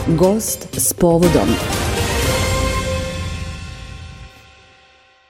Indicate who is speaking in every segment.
Speaker 1: Gost s povodom.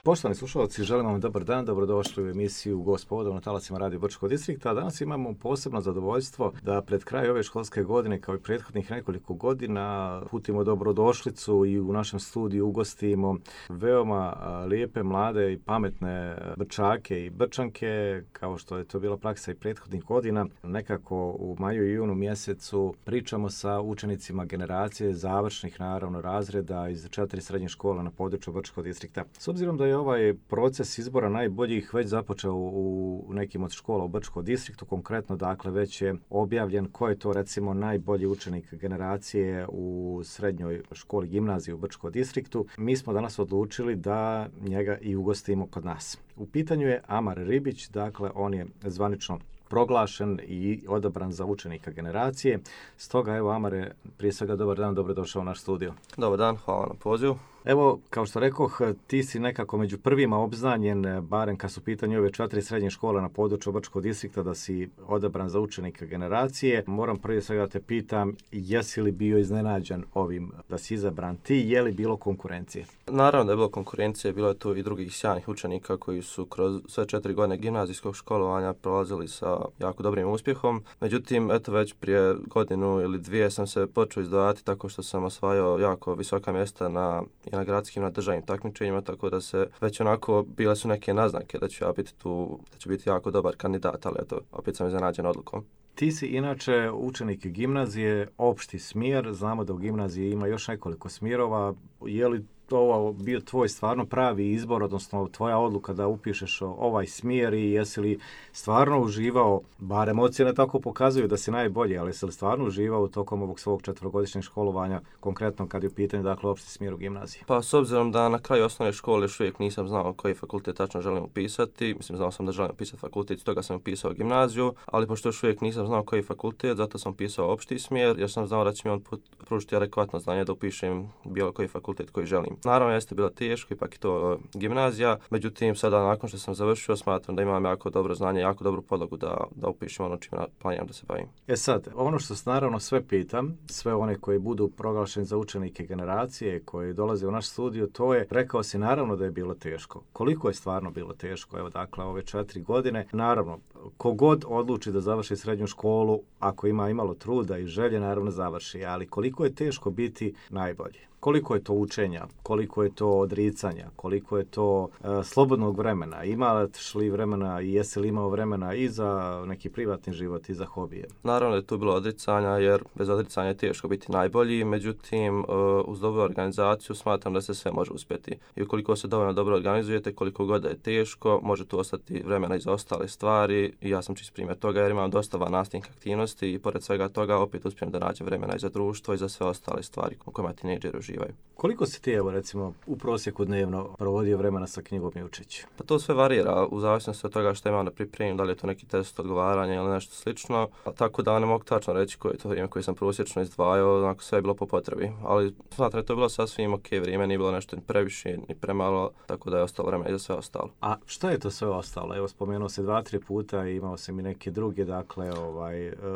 Speaker 2: Poštovani slušalci, želim vam dobar dan, dobrodošli u emisiju Gost s povodom na talasima Radio Brčkog distrikta. Danas imamo posebno zadovoljstvo da pred kraj ove školske godine, kao i prethodnih nekoliko godina, putimo dobrodošlicu i u našem studiju ugostimo veoma lijepe, mlade i pametne Brčake i Brčanke, kao što je to bila praksa i prethodnih godina. Nekako u maju i junu mjesecu pričamo sa učenicima generacije završnih, naravno, razreda iz 4 srednje škole na području Brčkog distrikta. S obzirom da je ovaj proces izbora najboljih već započeo u nekim od škola u Brčkom distriktu, konkretno dakle već je objavljen ko je to recimo najbolji učenik generacije u srednjoj školi gimnaziji u Brčkom distriktu. Mi smo danas odlučili da njega i ugostimo kod nas. U pitanju je Amar Ribić, dakle on je zvanično proglašen i odabran za učenika generacije. Stoga evo Amare, prije svega dobar dan, dobrodošao u naš studio.
Speaker 3: Dobar dan, hvala na pozivu.
Speaker 2: Evo, kao što rekoh, ti si nekako među prvima obznanjen, barem kad su pitanju ove 4 srednje škole na području Brčkog distrikta, da si odabran za učenika generacije. Moram prije svega te pitam, jesi li bio iznenađen ovim da si izabran ti, je li bilo konkurencije?
Speaker 3: Naravno da je bilo konkurencije, bilo je tu i drugih sjajnih učenika koji su kroz sve 4 godine gimnazijskog školovanja prolazili sa jako dobrim uspjehom. Međutim, eto već prije godinu ili dvije sam se počeo izdvajati tako što sam osvajao jako visoka mjesta na gradskim, na državnim takmičenjima, tako da se već onako bile su neke naznake da ću ja biti tu, da ću biti jako dobar kandidat, ali eto, opet sam iznenađen odlukom.
Speaker 2: Ti si inače učenik gimnazije, opšti smjer, znamo da u gimnaziji ima još nekoliko smjerova. Je li ovo bio tvoj stvarno pravi izbor, odnosno tvoja odluka da upišeš ovaj smjer i jesi li stvarno uživao, barem ocjene tako pokazuju da si najbolji, ali jesi li stvarno uživao tokom ovog svog 4-godišnjeg školovanja, konkretno kad je u pitanju dakle opšti smjer u gimnaziji?
Speaker 3: Pa s obzirom da na kraju osnovne škole još uvijek nisam znao koji fakultet tačno želim upisati, znao sam da želim upisati fakultet, stoga sam upisao gimnaziju, ali pošto još uvijek nisam znao koji fakultet, zato sam upisao opšti smjer jer sam znao da će mi on pružiti adekvatno znanje da upišem bilo koji fakultet koji želim. Naravno jeste bilo teško, ipak je to gimnazija, međutim sada nakon što sam završio smatram da imam jako dobro znanje, jako dobru podlogu da upišem ono čime planiram da se bavim.
Speaker 2: Sad, ono što naravno sve pitam, sve one koji budu proglašeni za učenike generacije, koji dolaze u naš studio, to je, rekao si naravno da je bilo teško. Koliko je stvarno bilo teško? Evo dakle ove 4 godine, naravno, kogod odluči da završi srednju školu, ako ima imalo truda i želje, naravno završi, ali koliko je teško biti najbolji? Koliko je to učenja, koliko je to odricanja, koliko je to slobodnog vremena, imaš li vremena i jesi li imao vremena i za neki privatni život i za hobije?
Speaker 3: Naravno da je tu bilo odricanja jer bez odricanja je teško biti najbolji, međutim uz dobru organizaciju smatram da se sve može uspjeti. I ukoliko se dovoljno dobro organizujete, koliko god da je teško, može tu ostati vremena i za ostale stvari i ja sam čist primjer toga jer imam dosta nastavnih aktivnosti i pored svega toga opet uspijem da nađem vremena i za društvo i za sve ostale stvari u kojima tinejdžeri uživaju.
Speaker 2: Koliko si ti, evo recimo, u prosjeku dnevno provodio vremena sa knjigom i učeći?
Speaker 3: Pa to sve varira u zavisnosti od toga što imam da pripremim, da li je to neki test odgovaranja ili nešto slično. Tako da ne mogu tačno reći koje je to vrijeme koje sam prosječno izdvajao, onako sve je bilo po potrebi. Ali smatram da je to bilo sasvim ok vrijeme, nije bilo nešto ni previše ni premalo, tako da je ostalo vremena i za sve ostalo.
Speaker 2: A što je to sve ostalo? Evo, spomenuo se 2-3 puta i imao sam i neke druge, dakle,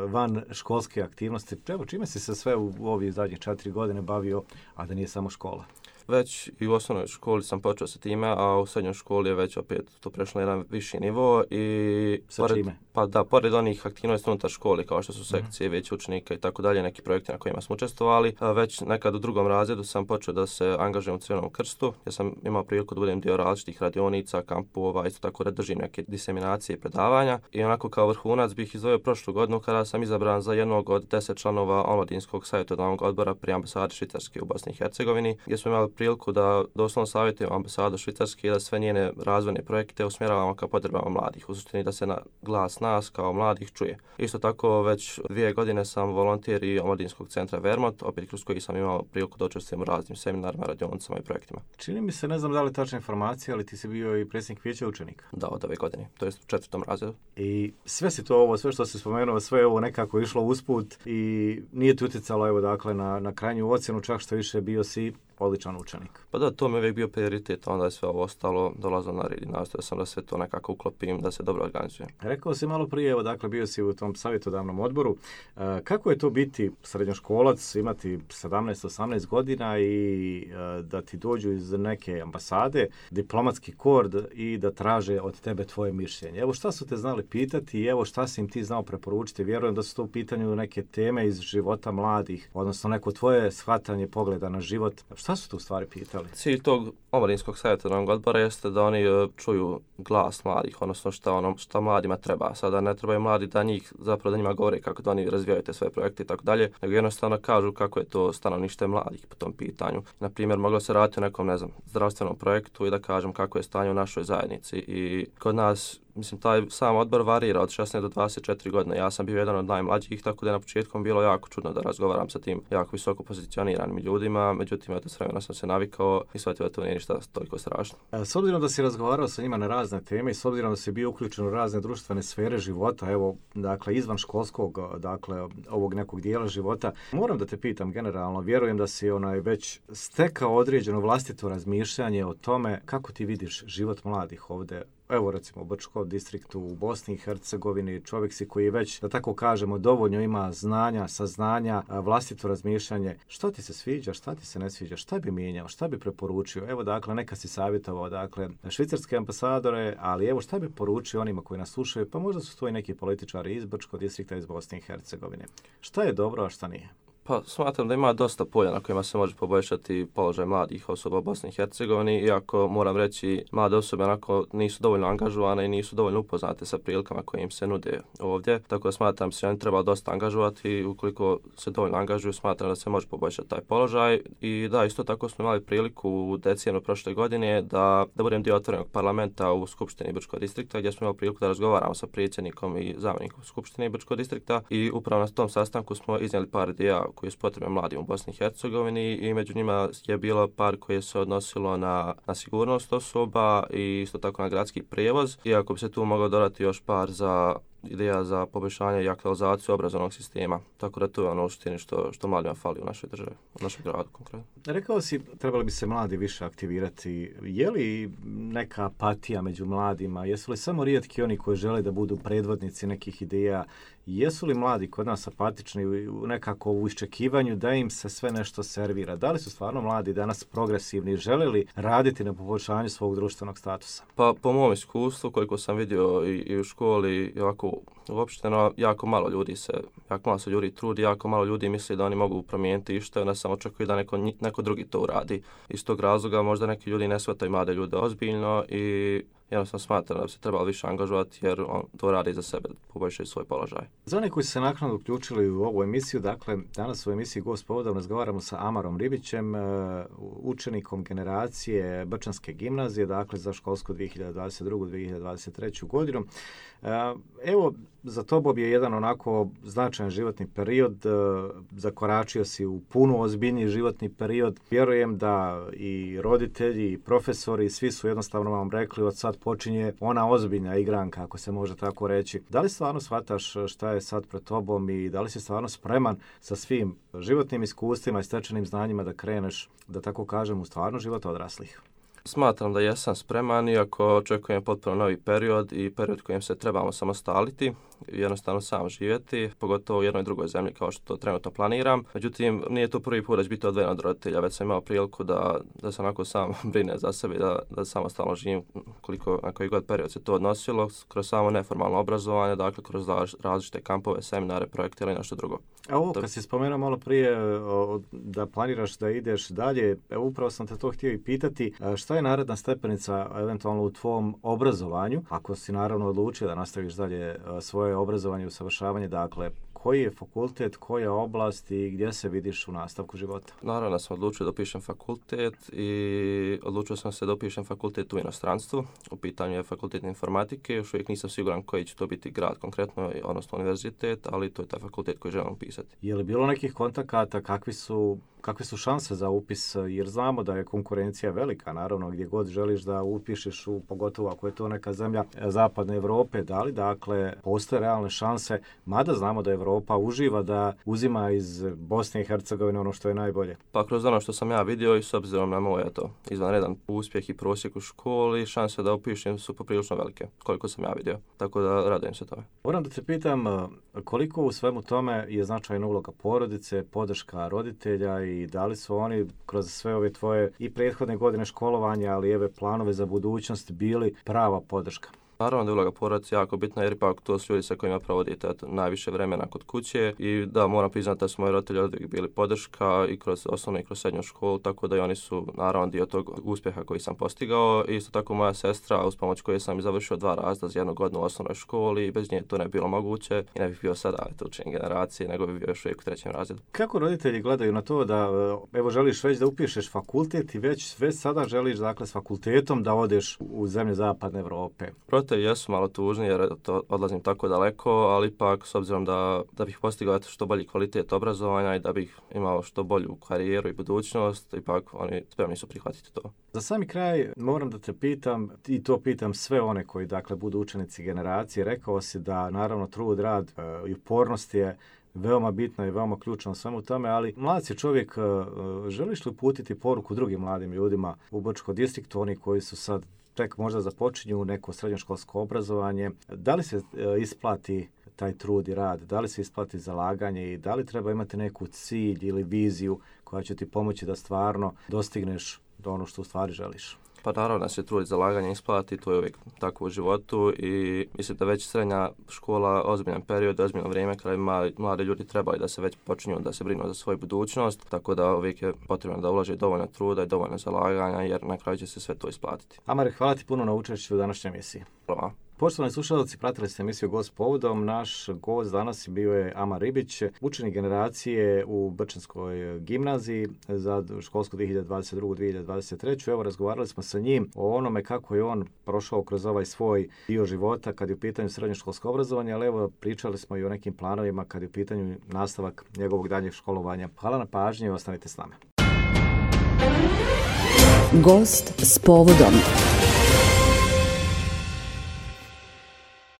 Speaker 2: van školske aktivnosti. Evo, čime si se sve u ovih zadnjih 4 godine bavio, a da nije samo škola?
Speaker 3: Već i u osnovnoj školi sam počeo sa time, a u srednjoj školi je već opet to prešlo na jedan viši nivo. I
Speaker 2: sa čime?
Speaker 3: Pa da, pored onih aktivnosti unutar škole, kao što su sekcije, vijeće učenika i tako dalje, neki projekti na kojima smo učestvovali, već nekad u 2. razredu sam počeo da se angažujem u Crvenom krstu. Ja sam imao priliku da budem dio različitih radionica, kampova, isto tako da držim neke diseminacije i predavanja. I onako kao vrhunac bih izdvojio prošlu godinu kada sam izabran za jednog od 10 članova omladinskog savjetodavnog odbora pri ambasadi Švicarske u Bosni i Hercegovini, gdje smo imali priliku da doslovno savjetujemo ambasadu Švicarske i da sve njene razvojne projekte usmjeravamo ka potrebama mladih. U suštini da se glas nas kao mladih čuje. Isto tako već 2 godine sam volonter i omladinskog centra Vermont, opet kroz koji sam imao priliku da učestvujem u raznim seminarima, radionicama i projektima.
Speaker 2: Čini mi se, ne znam da li tačna informacija, ali ti si bio i predsjednik vijeća učenika.
Speaker 3: Da, od ove godine, to je u 4. razredu.
Speaker 2: I sve si to ovo, sve što si spomenuo, sve ovo nekako išlo usput i nije ti utjecalo, evo dakle, na krajnju ocjenu, čak što više bio si odličan učenik.
Speaker 3: Pa da, to mi je uvijek bio prioritet, onda je sve ovo ostalo dolazilo na red i nastojao sam da sve to nekako uklopim, da se dobro organizujem.
Speaker 2: Rekao si malo prije, evo dakle bio si u tom savjetodavnom odboru. Kako je to biti srednjoškolac, imati 17-18 godina i da ti dođu iz neke ambasade, diplomatski kord i da traže od tebe tvoje mišljenje? Evo šta su te znali pitati i evo šta si im ti znao preporučiti? Vjerujem da su to u pitanju neke teme iz života mladih, odnosno neko tvoje shvatanje pogleda na život. Šta su tu u stvari pitali?
Speaker 3: Cilj tog omladinskog savjetodavnog odbora jeste da oni čuju glas mladih, odnosno šta mladima treba. Sada ne trebaju mladi da njima govore kako da oni razvijaju te svoje projekte i tako dalje, nego jednostavno kažu kako je to stanovništvo mladih po tom pitanju. Na primjer, moglo se raditi o nekom, zdravstvenom projektu i da kažem kako je stanje u našoj zajednici. I kod nas, taj sam odbor varira od 16 do 24 godine. Ja sam bio jedan od najmlađih, tako da je na početku bilo jako čudno da razgovaram sa tim jako visoko pozicioniranim ljudima, međutim, s vremena sam se navikao i shvatio da to nije ništa toliko strašno.
Speaker 2: S obzirom da si razgovarao sa njima na razne teme i s obzirom da si bio uključen u razne društvene sfere života, evo, dakle, izvan školskog, dakle, ovog nekog dijela života, moram da te pitam generalno, vjerujem da si već stekao određeno vlastito razmišljanje o tome kako ti vidiš život mladih ovdje. Evo recimo u Brčkom distriktu u Bosni i Hercegovini, čovjek si koji već, da tako kažemo, dovoljno ima znanja, saznanja, vlastito razmišljanje. Što ti se sviđa, šta ti se ne sviđa, šta bi mijenjao, šta bi preporučio? Evo dakle, neka si savjetovao, dakle, švicarske ambasadore, ali evo šta bi poručio onima koji nas slušaju, pa možda su to i neki političari iz Brčkog distrikta iz Bosne i Hercegovine. Šta je dobro, a šta nije?
Speaker 3: Pa smatram da ima dosta polja na kojima se može poboljšati položaj mladih osoba u Bosni i Hercegovini, iako moram reći mlade osobe nisu dovoljno angažovane i nisu dovoljno upoznate sa prilikama koje im se nude ovdje. Tako da smatram se oni treba dosta angažovati i ukoliko se dovoljno angažuju smatram da se može poboljšati taj položaj. I da, isto tako smo imali priliku u decembru prošle godine da budem dio otvorenog parlamenta u Skupštini Brčkog distrikta gdje smo imali priliku da razgovaramo sa predsjednikom i zamjenikom Skupštine Brčkog distrikta i upravo na tom sastanku smo iznijeli par ideja koji su potrebne mladim u Bosni i Hercegovini i među njima je bilo par koje se odnosilo na sigurnost osoba i isto tako na gradski prijevoz. Iako bi se tu moglo dodati još par ideja za poboljšanje i aktualizaciju obrazovnog sistema. Tako da to je ono u suštini što mladima fali u našoj državi, u našem gradu konkretno.
Speaker 2: Rekao si, trebali bi se mladi više aktivirati. Je li neka apatija među mladima? Jesu li samo rijetki oni koji žele da budu predvodnici nekih ideja? Jesu li mladi kod nas apatični nekako u iščekivanju da im se sve nešto servira? Da li su stvarno mladi danas progresivni? Žele li raditi na poboljšanju svog društvenog statusa?
Speaker 3: Pa po mom iskustvu, koliko sam vidio i u školi, i ovako uopšteno, jako malo se ljudi trudi, jako malo ljudi misli da oni mogu promijeniti išta, onda samo očekuju da neko drugi to uradi. Iz tog razloga možda neki ljudi ne shvataju mlade ljude ozbiljno i jednostavno smatram da bi se trebalo više angažovati jer on to radi za sebe, poboljšaju svoj položaj.
Speaker 2: Za one koji su se naknadno uključili u ovu emisiju, dakle, danas u emisiji Gost povodom razgovaramo sa Amarom Ribićem, učenikom generacije Brčanske gimnazije, dakle, za školsku 2022-2023. godinu. Evo, za tobom je jedan onako značajan životni period, zakoračio si u puno ozbiljniji životni period. Vjerujem da i roditelji, i profesori, svi su jednostavno vam rekli od sad počinje ona ozbiljna igranka, ako se može tako reći. Da li stvarno shvataš šta je sad pred tobom i da li si stvarno spreman sa svim životnim iskustvima i stečenim znanjima da kreneš, da tako kažem, u stvarno život odraslih?
Speaker 3: Smatram da jesam spreman, iako očekujem potpuno novi period i period kojim se trebamo samostaliti, jednostavno sam živjeti, pogotovo u jednoj drugoj zemlji kao što to trenutno planiram. Međutim, nije to prvi put da ću biti odvojen od roditelja, već sam imao priliku da se onako sam brine za sebe, da samostalno živim na koji god period se to odnosilo, kroz samo neformalno obrazovanje, dakle kroz različite kampove, seminare, projekte ili nešto drugo.
Speaker 2: A ovo, kad si spomenuo malo prije da planiraš da ideš dalje, upravo sam te to htio i pitati, šta je naredna stepenica eventualno u tvom obrazovanju, ako si naravno odlučio da nastaviš dalje svoje obrazovanje i usavršavanje, dakle, koji je fakultet, koja oblast i gdje se vidiš u nastavku života?
Speaker 3: Naravno sam odlučio da upišem fakultet i odlučio sam se da upišem fakultet u inostranstvu. U pitanju je fakultet informatike, još uvijek nisam siguran koji će to biti grad konkretno, odnosno univerzitet, ali to je taj fakultet koji želim upisati.
Speaker 2: Je li bilo nekih kontakata, kakve su šanse za upis, jer znamo da je konkurencija velika, naravno, gdje god želiš da upišeš, pogotovo ako je to neka zemlja zapadne Europe, da li dakle postoje realne šanse, mada znamo da Europa Europa uživa da uzima iz Bosne i Hercegovine ono što je najbolje?
Speaker 3: Pa kroz ono što sam ja vidio i s obzirom na moj izvanredan uspjeh i prosjek u školi, šanse da upišem su poprilično velike, koliko sam ja vidio. Tako da radujem se tome.
Speaker 2: Moram da te pitam koliko u svemu tome je značajna uloga porodice, podrška roditelja i da li su oni kroz sve ove tvoje i prethodne godine školovanja, ali i ove planove za budućnost bili prava podrška?
Speaker 3: Naravno da je uloga porodice jako bitna jer ipak to su ljudi sa kojima provodite najviše vremena kod kuće i da moram priznati da su moji roditelji oduvijek bili podrška i kroz osnovnu i kroz srednju školu, tako da i oni su naravno dio tog uspjeha koji sam postigao. I isto tako moja sestra, uz pomoć koje sam i završio 2 razreda za 1 godinu u osnovnoj školi i bez nje to ne bi bilo moguće i ne bih bio sada učenik generacije, nego bi bio još uvijek u 3. razredu. Kako
Speaker 2: roditelji gledaju na to da evo želiš već da upišeš fakultet i već sada želiš dakle s fakultetom da odeš u zemlje zapadne Europe?
Speaker 3: Jesu malo tužni jer to odlazim tako daleko, ali ipak s obzirom da bih postigao što bolji kvalitet obrazovanja i da bih imao što bolju karijeru i budućnost, ipak oni spremni su prihvatiti to.
Speaker 2: Za sami kraj moram da te pitam, i to pitam sve one koji dakle budu učenici generacije, rekao si da naravno trud, rad i upornost je veoma bitno i veoma ključno u svemu tome, ali mlad si čovjek, želiš li uputiti poruku drugim mladim ljudima u Brčkom distriktu, oni koji su sad tek možda započinju neko srednjoškolsko obrazovanje, da li se isplati taj trud i rad, da li se isplati zalaganje i da li treba imati neku cilj ili viziju koja će ti pomoći da stvarno dostigneš do ono što u stvari želiš?
Speaker 3: Pa naravno da se trud i zalaganje isplati, to je uvijek tako u životu i mislim da već srednja škola ozbiljan period, ozbiljno vrijeme kada bi mladi ljudi trebali da se već počinju da se brinu za svoju budućnost, tako da uvijek je potrebno da ulaže dovoljno truda i dovoljno zalaganja jer na kraju će se sve to isplatiti.
Speaker 2: Amare, hvala ti puno na učešću u današnjoj emisiji.
Speaker 3: Hvala.
Speaker 2: Poštovani slušalci, pratili ste emisiju Gost povodom. Naš gost danas bio je Amar Ribić, učenik generacije u Brčanskoj gimnaziji za školsku 2022-2023. Evo, razgovarali smo sa njim o onome kako je on prošao kroz ovaj svoj dio života kad je u pitanju srednjoškolsko obrazovanje, ali evo, pričali smo i o nekim planovima kad je u pitanju nastavak njegovog daljnjeg školovanja. Hvala na pažnji i ostanite s nama.
Speaker 1: Gost s povodom.